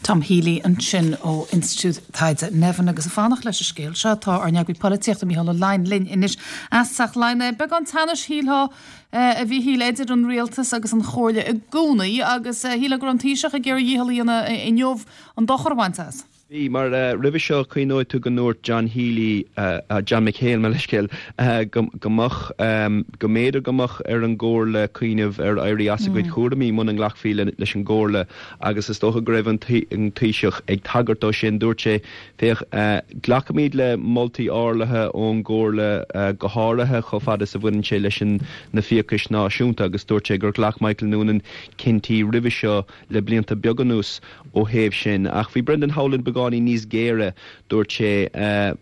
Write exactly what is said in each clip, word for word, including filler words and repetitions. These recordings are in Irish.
Tom Healy ansin ó Institiúid Taighde Nevin agus ag fanacht leis an scéal seo tá ár n-eagraí polaitíochta Mícheál Ó Laighin linn anois as Teach Laighean. Beagán teannais shílfeá a Mhíchíl idir an rialtas agus an Chomhairle i gcónaí agus shílfeá go raibh an Taoiseach ag iarraidh a dhícheall a dhéanamh inniu an dochar a bhaint as. Bhí mar uh, roimhe seo cuimhneoidh tú go ndúirt John Healy uh, uh, John McHale mar leithscéal uh, go, go mbeadh um, go mb'fhéidir go mbeadh ar an gcomhairle cuimhneamh ar éirí as a gcuid mm. cúraimí muna nglacfaí le, leis an gcomhairle agus is dócha go raibh an Taoiseach ag tagairt dó sin dúirt sé féach uh, glacaimid le moltaí áirithe ón gcomhairle uh, go háirithe chomh fada is a bhaineann sé leis an na fiachais náisiúnta agus dúirt sé gur ghlac Michael Noonan cinntí roimhe seo le blianta beaga anuas ó thaobh sin ach bhí Brendan Howlin beagáinín níos géire dúirt sé uh,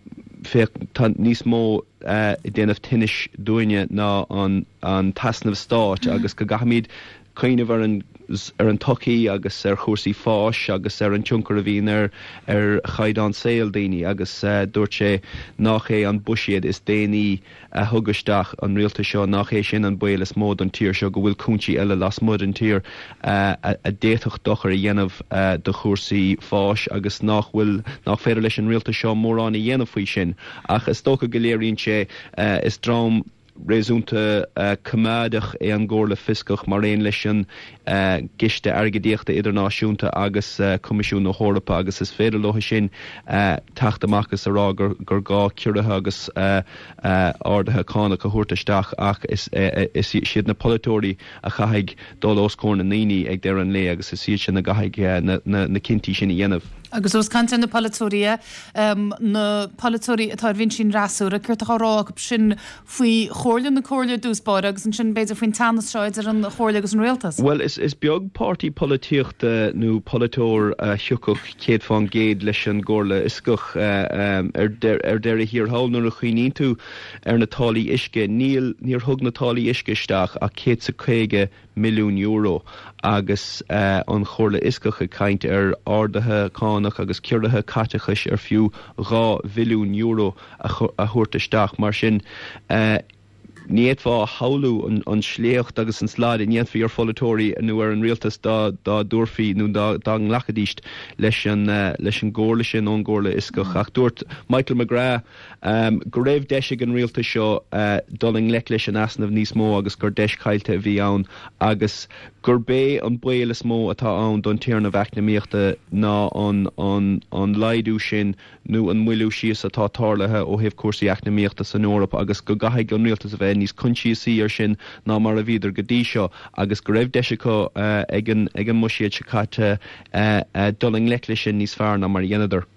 féach tá níos mó uh, déanamh tinnis dúinne ná an, an t-easnamh stáit agus go gcaithfimid cuimhneamh ar an ar an tsochaí agus ar chúrsaí fáis agus ar an tionchar a bhíonn ar ar chaighdeán saoil daoine agus uh, dúirt sé nach é an buiséad is déanaí a thug isteach an rialtas seo nach é sin an baol is mó don tír seo go bhfuil cúinsí eile lasmuigh den tír uh, a, a d'fhéadfadh dochar a dhéanamh uh, do chúrsaí fáis agus nach bhfuil nach féidir leis an rialtas seo mórán a dhéanamh faoi sin ach is dócha go léiríonn sé uh, is dream réasúnta uh, coimeádach é an gComhairle Fhioscach mar aon leis an uh, gCiste Airgeadaíochta Idirnáisiúnta agus uh, Coimisiún na hEorpa agus is féidir leo sin uh, teacht amach is a rá gur, gur gá ciorruithe agus uh, uh, arduithe cánach a thabhairt isteach ach is, uh, is siad na polaiteoirí a chaithfidh dul os comhair na ndaoine ag deireadh an lae agus is iad sin a chaithfidh uh, na, na, na cinntí sin a dhéanamh. Agus os caint na polaiteoirí um, na polaiteoirí atá ar bhinsí an fhreasúra, céard atá á rá acu sin faoi chomhairle na comhairle dtús báire agus ansin b'fhéidir faoin teannas seo idir an chomhairle agus an rialtas. Well is, is beag páirtí polaitíochta nó polaiteoir uh, thiocfadh céad faoin gcéad leis an gComhairle Fhioscach uh, um, ar, ar deireadh thiar thall nuair a chuimhníonn tú ar na táillí uisce níl níor thug na táillí uisce isteach ach céad is caoga milliún euro agus uh, an Chomhairle Fhioscach ag caint ar arduithe cánach agus ciorruithe caiteachais ar fiú dhá bhilliún euro a, a thabhairt isteach mar sin uh, ní fhéadfá a shamhlú an, an sléacht agus an slad a ndéanfaí ar pholaiteoirí nó ar an rialtas dá dá dtabharfaí nó dá, dá nglacfaidís leis an uh, leis an gcomhairle sin ón gComhairle Fhioscach ach dúirt Michael McGrath um, go raibh deis ag an rialtas seo uh, dul i ngleic leis an easnamh níos mó agus gur deis caillte a bhí ann agus gurb é an baol is mó atá ann don téarnamh eacnamaíochta ná an, an, an laghdú sin nó an moilliú síos atá tarlaithe ó thaobh cúrsaí eacnamaíochta san Eoraip agus go gcaithfidh an rialtas a bheith níos coinsiasaí ar sin ná mar a bhíodar go dtí seo agus go raibh deis acu uh, ag an ag an mbuiséad seo caite uh, uh, dul i ngleic leis sin níos fearr ná mar a dheineadar.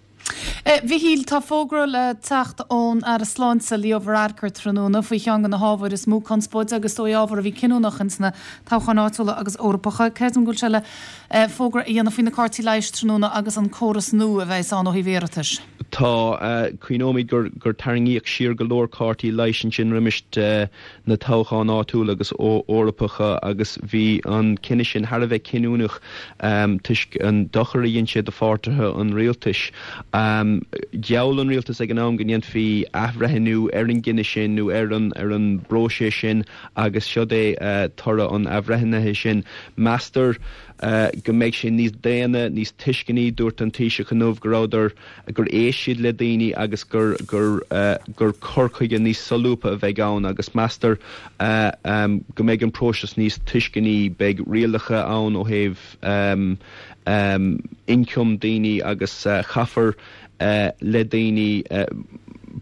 Mhíchíl tá fógra le teacht ón Aire Sláinte Leo Varadkar tráthnóna faoi cheann de na hábhair is mó conspóide agus dóigh ábhar a bhí cinniúnach sna toghcháin áitiúla agus Eorpacha. Creidim go bhfuil sé le fógra a dhéanamh faoi na cártaí leighis tráthnóna agus an córas nua a bheas ann ó thaobh iarratais. Tá uh, cuimhneoimid gur gur tarraingíodh siar go leor cártaí leighis sin roimis uh, na toghcháin áitiúla agus Eorpacha agus bhí an cinneadh sin thar a bheith cinniúnach um, toisc an dochar a dhein sé do pháirtithe an rialtais. Um, Gheall an rialtas ag an am go ndéanfaí athbhreithniú ar an gcinneadh sin nó ar an ar an bpróiseas sin agus seo é uh, toradh an athbhreithnithe sin. Meastar uh, go mbeidh sé níos daonna níos tuisceanaí dúirt an Taoiseach inniu go rabhadar gur éist siad le daoine agus gur gur uh, gur cur chuige níos solúbtha a bheidh ann agus meastar uh, um, go mbeidh an próiseas níos tuisceanaí beidh rialacha ann ó thaobh um, um, ioncam daoine agus uh, caithfear uh, le daoine uh,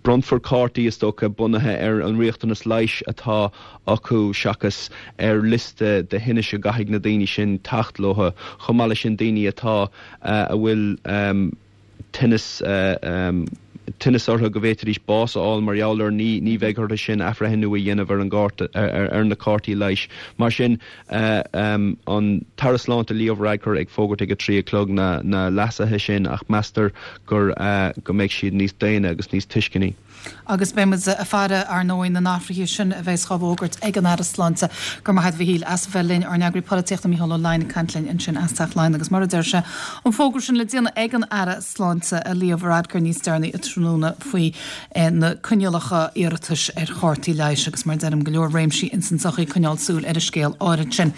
bronnfar cártaí is dócha bunaithe ar an riachtanas leighis atá acu seachas ar liosta de thinnis a gcaithfidh na daoine sin teacht leo chomh maith leis sin daoine atá uh, a bhfuil um, tinneas uh, um, tinneas orthu go bhféadfaidís bás a fháil mar gheall air ní ní bheidh orthu sin athbhreithniú a dhéanamh ar an gcárta ar, ar na cártaí leighis. Mar sin uh, um, an tAire Sláinte Leo Varadkar ag fógairt ag a trí a chlog na, na leasuithe sin ach meastar gur uh, go mbeidh siad níos daonna agus níos tuisceanaí. Agus beimid ag faire ar ndóigh na n-athruithe sin a bheas á bhfógairt ag an Aire Sláinte go raibh maith agat a Mhíchíl as bheith linn ár n-eagraí polaitíochta Mícheál Ó Laighin ag caint linn ansin as Teach Laighean agus mar a deir sé an fógra sin le déanamh ag an Aire Sláinte a Leo Varadkar níos deireanaí tráthnóna faoi eh, na coinníollacha iarratais ar chártaí leighis agus mar deirim go leor réimsí ins an tsochaí coinneáil súil ar an scéal áirid sin.